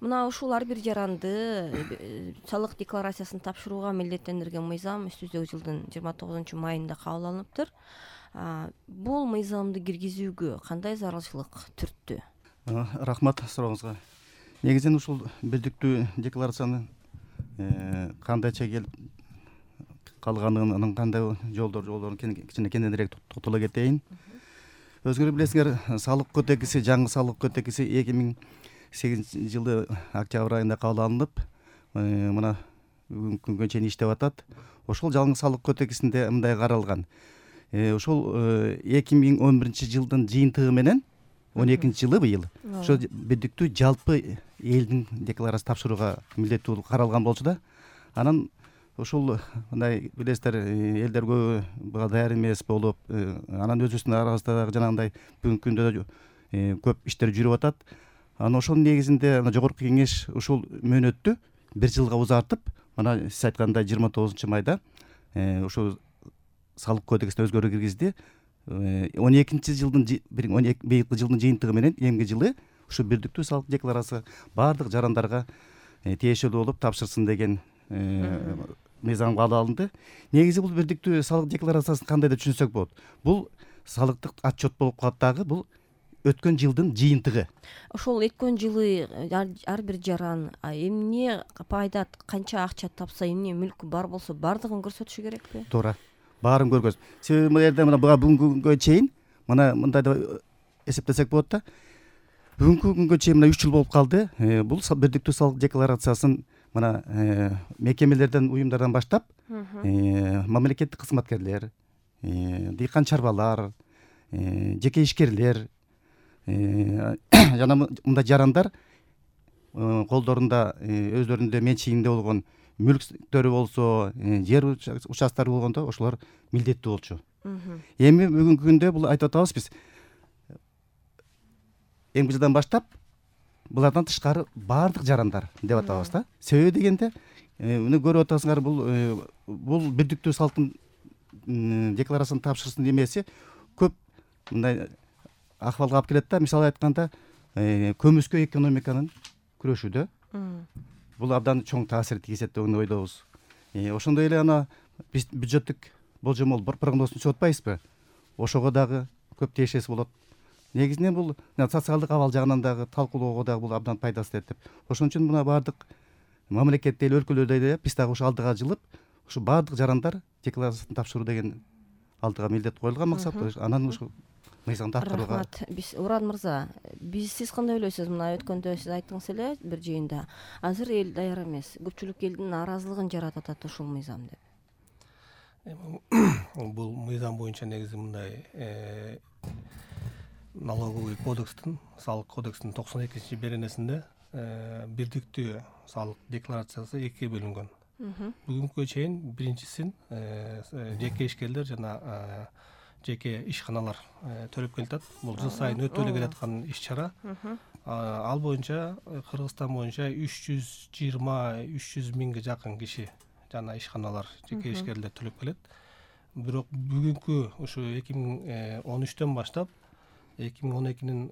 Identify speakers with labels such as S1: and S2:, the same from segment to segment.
S1: Мына ушул ар бир жаранды салык декларациясын тапшырууга милдеттендирген мыйзам өтүбүздөгү жылдын 29 майында кабыл алыныптыр. Бул мыйзамды киргизүүгө кандай зарылчылык түрттү?
S2: Рахмат сурооңузга. Негизинен ушул бирдиктүү декларацияны кандайча келип калганын, анын кандай жолдорун кичине кененирээк токтоло кетейин. Өзүңөр билесиңер, салык кодекси, жаңы салык кодекси 2008 жылы октябрь айында кабыл алынып, мына бүгүнкү күнгө чейин иштеп атат. Ошол жаңы салык кодексинде мындай каралган. Ошол 2011 жылдын жыйынтыгы менен 12 жылы быйыл ошо бирдиктүү жалпы элдин декларациясын тапшырууга милдеттүү болуп каралган болчу да. Анан ушул мындай билесиздер, элдер көбү буга даяр эмес болуп, анан өзүбүздүн арабызда жанагындай бүгүнкү күндө көп иштер жүрүп атат. Анан ошонун негизинде жогорку кеңеш ушул мөөнөттү 1 жылга узартып, мына сиз айткандай 29 майда ушул салык кодексине өзгөрүү киргизди. 12 жылдын быйылкы жылдын жыйынтыгы менен эмки жылы ушу бирдиктүү салык декларациясы баардык жарандарга тиешелүү болуп тапшырсын деген мыйзам кабыл алынды. Негизи бул бирдиктүү салык декларациясын кандай деп түшүнсөк болот? Бул салыктык отчет болуп калат дагы, бул өткөн жылдын жыйынтыгы.
S1: Ошол өткөн жылы ар бир жаран эмне пайда, канча акча тапса, эмне мүлкү бар болсо бардыгын көрсөтүшү керекпи?
S2: Туура. Баарын көргөз. Себеби бул жерде мына бүгүнкү күнгө чейин мына мындай деп эсептесек болот да. Бүгүнкү күнгө чейин мына 3 жыл болуп калды. Бул бирдиктүү салык декларациясын мына мекемелерден, уюмдардан баштап мамлекеттик кызматкерлер, дыйкан чарбалар, жеке ишкерлер жана мындай жарандар колдорунда өздөрүнүн менчигинде болгон мүлктөрү болсо, жер участтары болгондо ошолор милдеттүү болчу. Эми бүгүнкү күндө бул айтып атабыз биз, эмки жылдан баштап булардан тышкары баардык жарандар деп атабыз да. Себеби дегенде, муну көрүп атасыңар, бул бирдиктүү салыктын декларациясын тапшырсын эмеси көп мындай акыбалга алып келет да. Мисалы айтканда, көмүскө экономиканын күрөшүүдө бул абдан чоң таасир тийгизет деп ойдобуз. Ошондой эле ана биз бюджеттик болжомол прогнозун түзүп атпайбызбы? Ошого дагы көп тиешеси болот. Негизинен бул социалдык абал жагынан дагы талкуулоого дагы бул абдан пайдасы тиет деп. Ошон үчүн мына баардык мамлекетте эле, өлкөлөрдө эле биз дагы ушу алдыга жылып, ушу баардык жарандар декларациясын тапшыруу деген алдыга милдет коюлган максат. Анан ушу мыйзамды аткарууга.
S1: Рахмат. Уран мырза, сиз кандай ойлойсуз? Мына өткөндө сиз айттыңыз эле бир жыйында, азыр эл даяр эмес, көпчүлүк элдин нааразылыгын жаратып атат ушул мыйзам деп.
S3: Бул мыйзам боюнча негизи мындай, налоговый кодекстин, салык кодексинин 92 беренесинде бирдиктүү салык декларациясы экиге бөлүнгөн. Бүгүнкүгө чейин биринчисин жеке ишкерлер жана жеке ишканалар төлөп келатат. Бул жыл сайын өтөлө келаткан иш-чара. Ал боюнча Кыргызстан боюнча 320-300 миңге жакын киши жана ишканалар, жеке ишкерлер төлөп келет. Бирок бүгүнкү ушу 2013төн баштап 2012-нин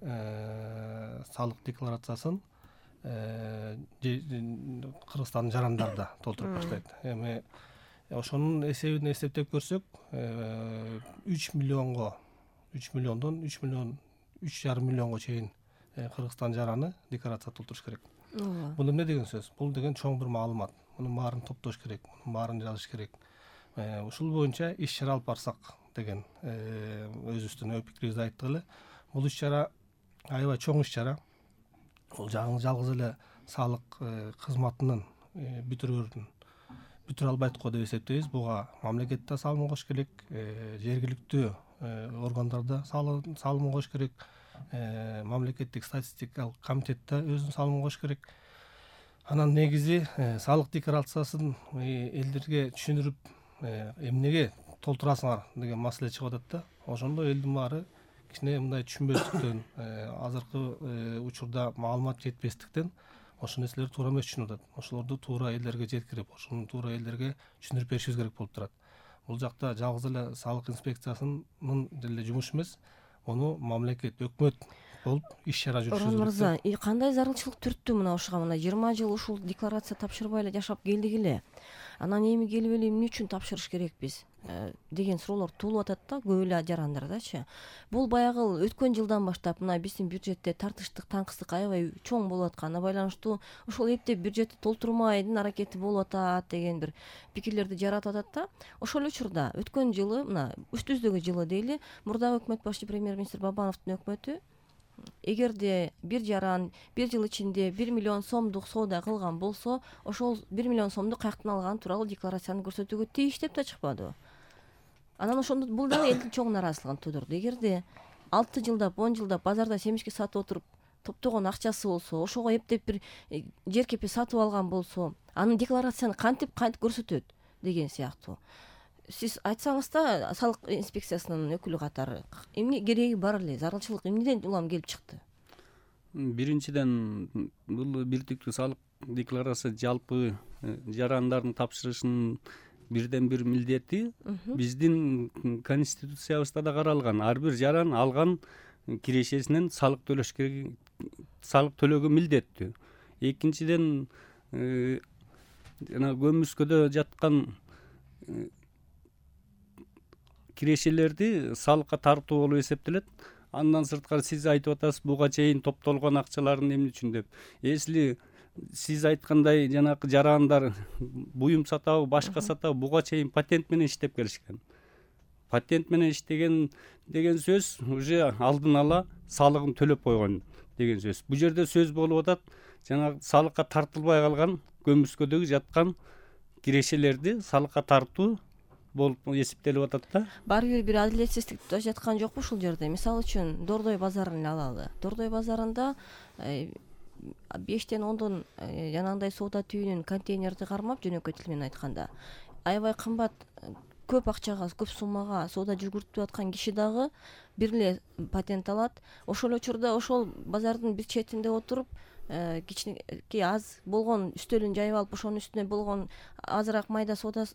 S3: салык декларациясын Кыргызстандын жарандары да толтуруп баштайт. Эми ошонун эсебин эсептеп көрсөк, 3 миллиондон 3,5 миллионго чейин Кыргызстан жараны декларация толтуруш керек. Бул эмне деген сөз? Бул деген чоң бир маалымат. Мунун баарын топтош керек, мунун баарын жазыш керек. Ушул боюнча иш-чара алып барсак деген өзүбүздүн ой пикирибизди айттык эле. Бул иш-чара аябай чоң иш-чара. Бул жалгыз эле салык кызматынын бүтүрө албайт го деп эсептейбиз. Буга мамлекет да салым кош керек, жергиликтүү органдар да салым кош керек, мамлекеттик статистикалык комитет да өзүнүн салымын кош керек. Анан негизи салык декларациясын элдерге түшүндүрүп, эмнеге толтурасыңар деген маселе чыгып атат да. Ошондо элдин баары кичине мындай түшүнбөстүктөн, азыркы учурда маалымат жетпестиктен ошол нерселерди туура эмес түшүнүп атат. Ошолорду туура элдерге жеткирип, ошону туура элдерге түшүндүрүп беришибиз керек болуп турат. Бул жакта жалгыз эле салык инспекциясынын деле жумушу эмес, муну мамлекет, өкмөт болуп иш чара жүргүзүлөт.
S1: Орон мырза, кандай зарылчылык түрттү мына ушуга? Мына 20 жыл ушул декларация тапшырбай эле жашап келдик эле. Анан эми келип эле эмне үчүн тапшырыш керекпиз деген суроолор туулуп атат да көп эле жарандардачы. Бул баягы өткөн жылдан баштап мына биздин бюджетте тартыштык, таңкыстык аябай чоң болуп атканына байланыштуу ошол эптеп бюджетти толтурмайдын аракети болуп атат деген бир пикирлерди жаратып атат да. Ошол учурда өткөн жылы мына үстүбүздөгү жылы дейли, мурдагы өкмөт башчы премьер-министр Бабановдун өкмөтү эгерде бир жаран бир жыл ичинде 1 миллион сомдук соода кылган болсо, ошол 1 миллион сомду каяктан алган тууралуу декларацияны көрсөтүүгө тийиш деп да чыкпадыбы? Анан ошондо бул дагы элдин чоң нааразычылыгын туудурду. Эгерде 6 жылдап 10 жылдап базарда семишке сатып отуруп топтогон акчасы болсо, ошого эптеп бир жер кепи сатып алган болсо, анын декларацияны кантип көрсөтөт деген сыяктуу. Сиз айтсаңыз да салык инспекциясынын өкүлү катары эмне кереги бар эле, зарылчылык эмнеден улам келип чыкты?
S4: Биринчиден, бул бирдиктүү салык декларация жалпы жарандардын тапшырышынын бирден бир милдети биздин конституциябызда да каралган. Ар бир жаран алган кирешесинен салык төлөш керек, салык төлөөгө милдеттүү. Экинчиден, жана көмүскөдө жаткан кирешелерди салыкка тартуу болуп эсептелет. Андан сырткары сиз айтып атасыз, буга чейин топтолгон акчалардын эмне үчүн деп. Если сиз айткандай жанагы жарандар буюм сатабы, башка сатабы, буга чейин патент менен иштеп келишкен. Патент менен иштеген деген сөз уже алдын ала салыгын төлөп койгон деген сөз. Бул жерде сөз болуп атат, жанагы салыкка тартылбай калган көмүскөдөгү жаткан кирешелерди салыкка тартуу болуп эсептелип атат да.
S1: Баары бир адилетсиздик жаткан жокпу ушул жерде? Мисалы үчүн Дордой базарын эле алалы. Дордой базарында 5-тен 10дон жанагындай соода түйүнүн контейнерди кармап, жөнөкөй тил менен айтканда, аябай кымбат, көп акчага, көп суммага соода жүгүртүп аткан киши дагы бир эле патент алат. Ошол учурда ошол базардын бир четинде отуруп, кичинекей аз болгон үстөлүн жайып алып, ошонун үстүнө болгон азыраак майда соода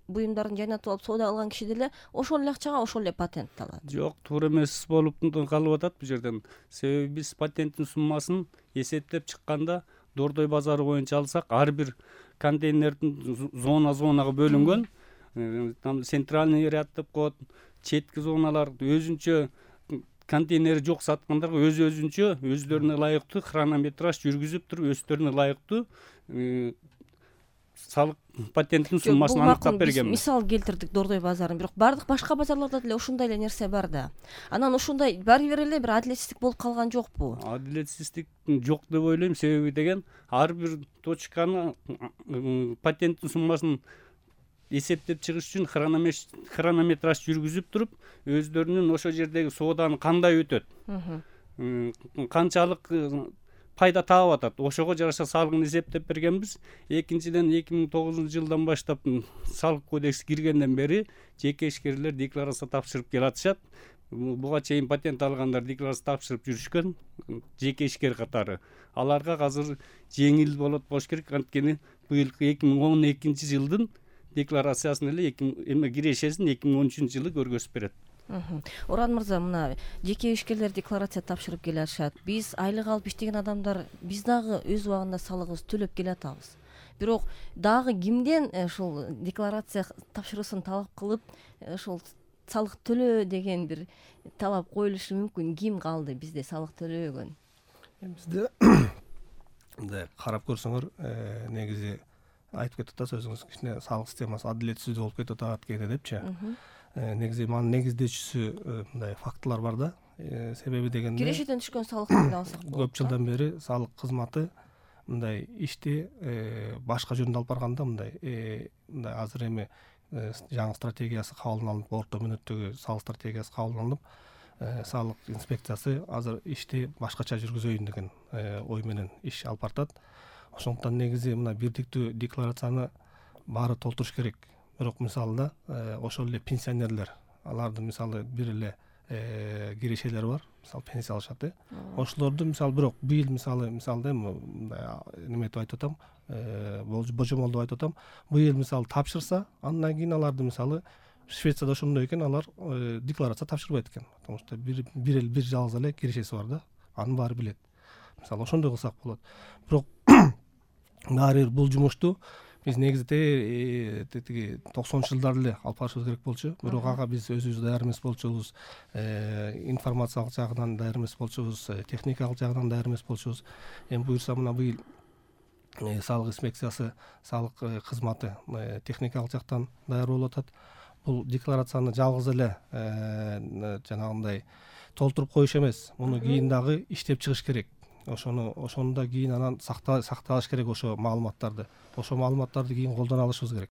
S1: буюмдарын жайнатып алып соода алган киши деле ошол эле акчага ошол эле патент алат.
S4: Жок, туура эмес болуп калып атат бул жерден. Себеби биз патенттин суммасын эсептеп чыкканда Дордой базары боюнча алсак, ар бир контейнердин зонага бөлүнгөн. Там центральный ряд деп коет, четки зоналар өзүнчө контейнери жок саткандарга өзүнчө өздөрүнө ылайыктуу хронометраж жүргүзүп туруп, өздөрүнө ылайыктуу салык патенттин суммасын аныктап берген.
S1: Мисал келтирдик Дордой базарын, бирок бардык башка базарларда деле ушундай эле нерсе бар да. Анан ушундай баары бир эле бир адилетсиздик болуп калган жокпу?
S4: Адилетсиздик жок деп ойлойм. Себеби деген, ар бир точканы патенттин суммасын эсептеп чыгыш үчүн хронометраж жүргүзүп туруп, өздөрүнүн ошол жердеги сооданы кандай өтөт, канчалык пайда таап атат, ошого жараша салыгын эсептеп бергенбиз. Экинчиден, 2009-жылдан баштап салык кодекси киргенден бери жеке ишкерлер декларация тапшырып келатышат. Буга чейин патент алгандар декларация тапшырып жүрүшкөн, жеке ишкер катары. Аларга азыр жеңил болот болуш керек, анткени быйылкы 2012-жылдын декларациясын эле кирешесин 2013-жылы көргөзүп берет.
S1: Оран мырза, мына жеке ишкерлер декларация тапшырып келишат. Биз айлык алып иштеген адамдар, биз дагы өз убагында салыгыбызды төлөп келатабыз. Бирок дагы кимден ушул декларация тапшыруусын талап кылып, ушул салык төлөө деген бир талап коюлушу мүмкүн? Ким калды бизде салык төлөбөгөн?
S3: Бизде мындай карап көрсөңөр, негизи айтып кетип атасыз өзүңүз, кичине салык системасы адилетсиз болуп кетип атат кээде депчи. Негизи манын негиздечүүсү мындай фактылар бар да. Себеби дегенде
S1: кирешеден түшкөн салыктарды алсак болот.
S3: Көп жылдан бери салык кызматы мындай ишти башка жөнүндө алып барганда мындай азыр эми жаңы стратегиясы кабыл алынып, орто мөөнөттөгү салык стратегиясы кабыл алынып, салык инспекциясы азыр ишти башкача жүргүзөйүн деген ой менен иш алып баратат. Ошондуктан негизи мына бирдиктүү декларацияны баары толтуруш керек. Бирок мисалы да ошол эле пенсионерлер, алардын мисалы бир эле кирешелери бар, мисалы пенсия алышат. Ошолорду мисалы бирок быйыл мисалы неметип айтып атам, божомолдоп айтып атам, быйыл мисалы тапшырса, андан кийин аларды мисалы Швецияда ошондой экен, алар декларация тапшырбайт экен. Потому что бир жалгыз эле кирешеси бар да. анын баары билет. Мисалы ошондой кылсак болот. Бирок баары бир бул жумушту биз негизинде тиги 90-жылдары эле алып барышыбыз керек болчу. Бирок ага биз өзүбүз даяр эмес болчубуз, информациялык жагынан даяр эмес болчубуз, техникалык жагынан даяр эмес болчубуз. Эми буюрса мына быйыл салык инспекциясы, салык кызматы техникалык жактан даяр болуп атат. Бул декларацияны жалгыз эле жанагындай толтуруп коюш эмес, муну кийин дагы иштеп чыгыш керек. Ошону да кийин анан сакталыш керек ошо маалыматтарды. Ошо маалыматтарды кийин колдоно алышыбыз керек.